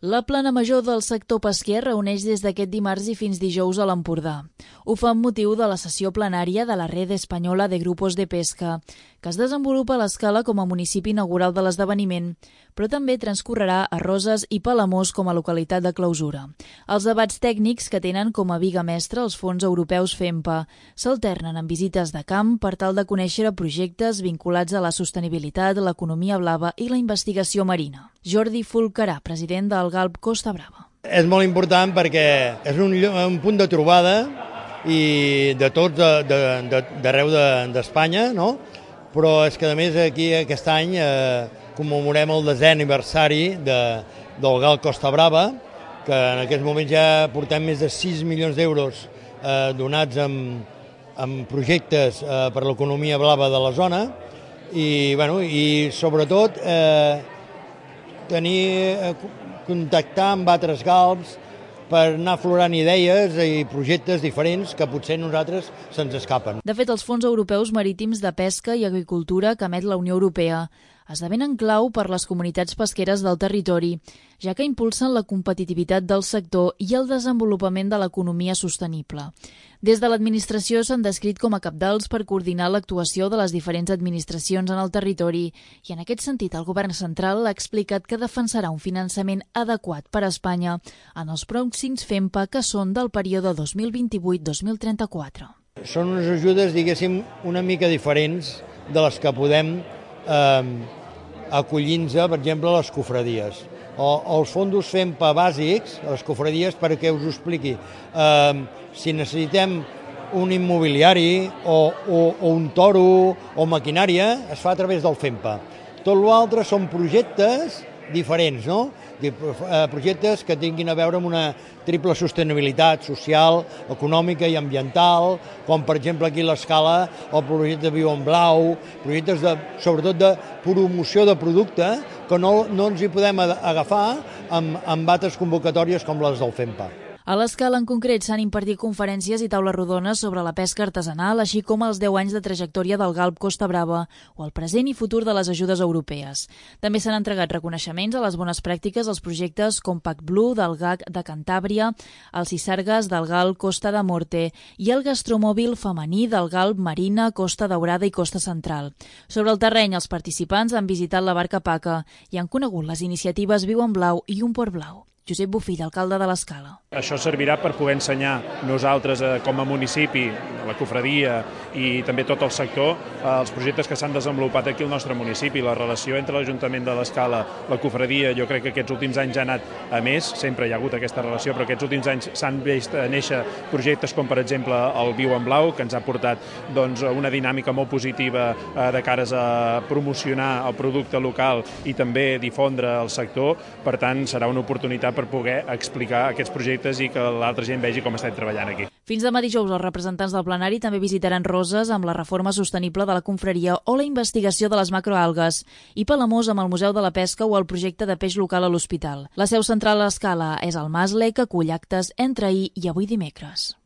La plana major del sector pesquer reuneix des d'aquest dimarts i fins dijous a l'Empordà. Ho fa amb motiu de la sessió plenària de la Red Española de Grupos de Pesca, que es desenvolupa a l'Escala com a municipi inaugural de l'esdeveniment, però també transcorrerà a Roses i Palamós com a localitat de clausura. Els debats tècnics, que tenen com a viga mestra els fons europeus FEMPA, s'alternen amb visites de camp per tal de conèixer projectes vinculats a la sostenibilitat, l'economia blava i la investigació marina. Jordi Fulcarà, president del Galp Costa Brava. És molt important perquè és un punt de trobada i de tots d'arreu d'Espanya, no? Però és que a més aquí aquest any commemorem el 10è aniversari del Galp Costa Brava, que en aquests moments ja portem més de 6 milions d'euros donats en projectes per l'economia blava de la zona i sobretot contactar amb altres galps per anar aflorant idees i projectes diferents que potser a nosaltres se'ns escapen. De fet, els fons europeus marítims de pesca i agricultura que emet la Unió Europea esdevenen clau per les comunitats pesqueres del territori, ja que impulsen la competitivitat del sector i el desenvolupament de l'economia sostenible. Des de l'administració s'han descrit com a cabdals per coordinar l'actuació de les diferents administracions en el territori i en aquest sentit el govern central ha explicat que defensarà un finançament adequat per a Espanya en els pròxims FEMPA que són del període 2028-2034. Són unes ajudes, diguéssim, una mica diferents de les que podem acollint-se, per exemple, a les cofradies. O els fondos FEMPA bàsics, a les cofradies, perquè us ho expliqui. Si necessitem un immobiliari o un toro o maquinària, es fa a través del FEMPA. Tot l'altre són projectes diferents, no? Projectes que tinguin a veure amb una triple sostenibilitat social, econòmica i ambiental, com per exemple aquí a l'Escala el projecte Viu en Blau, projectes sobretot de promoció de producte que no ens hi podem agafar amb altres convocatòries com les del FEMPA. A l'Escala en concret s'han impartit conferències i taules rodones sobre la pesca artesanal, així com els 10 anys de trajectòria del Galp Costa Brava o el present i futur de les ajudes europees. També s'han entregat reconeixements a les bones pràctiques als projectes Compact Blue del GAC de Cantàbria, els Cisargues del Galp Costa de Morte i el gastromòbil femení del Galp Marina, Costa Daurada i Costa Central. Sobre el terreny, els participants han visitat la barca Paca i han conegut les iniciatives Viu en Blau i Un Port Blau. Josep Bofill, alcalde de l'Escala. Això servirà per poder ensenyar nosaltres com a municipi, la cofradia i també tot el sector, els projectes que s'han desenvolupat aquí al nostre municipi. La relació entre l'Ajuntament de l'Escala, la cofradia, jo crec que aquests últims anys ha anat a més, sempre hi ha hagut aquesta relació, però aquests últims anys s'han vist néixer projectes com per exemple el Viu en Blau, que ens ha portat una dinàmica molt positiva de cares a promocionar el producte local i també difondre el sector. Per tant, serà una oportunitat per poder explicar aquests projectes i que l'altra gent vegi com estem treballant aquí. Fins demà dijous, els representants del plenari també visitaran Roses amb la reforma sostenible de la confraria o la investigació de les macroalgues i Palamós amb el Museu de la Pesca o el projecte de peix local a l'hospital. La seu central a l'Escala és el Masle, que acull actes entre ahir i avui dimecres.